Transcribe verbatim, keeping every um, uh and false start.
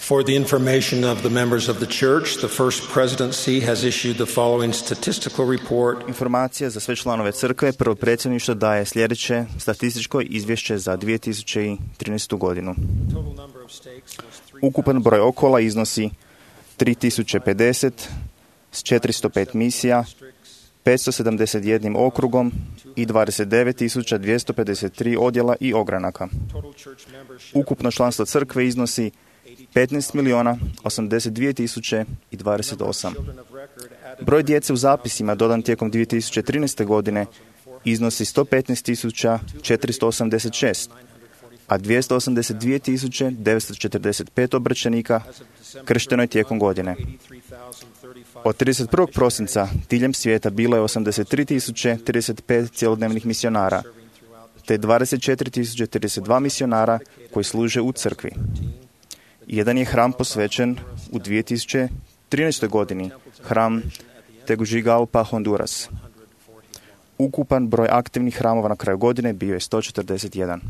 For the information of the members of the church, the First Presidency has issued the following statistical report. Informacija za sve članove crkve. Prvo predsjedništvo daje sljedeće statističko izvješće za dvije tisuće trinaestu godinu. Ukupan broj okola iznosi tri tisuće pedeset s četiristo pet misija, petsto sedamdeset jedan okrugom i dvadeset devet tisuća dvjesto pedeset tri odjela i ogranaka. Ukupno članstvo crkve iznosi petnaest milijuna osamdeset dvije tisuće dvadeset osam. Broj djece u zapisima dodan tijekom dvije tisuće trinaeste. godine iznosi sto petnaest tisuća četiristo osamdeset šest, a dvjesto osamdeset dvije tisuće devetsto četrdeset pet obraćenika kršteno je tijekom godine. Od trideset prvog prosinca diljem svijeta bilo je osamdeset tri tisuće trideset pet cjelodnevnih misionara, te dvadeset četiri tisuće trideset dva misionara koji služe u crkvi. Jedan je hram posvećen u dvije tisuće trinaestoj. godini, hram Tegucigalpa, Honduras. Ukupan broj aktivnih hramova na kraju godine bio je sto četrdeset jedan.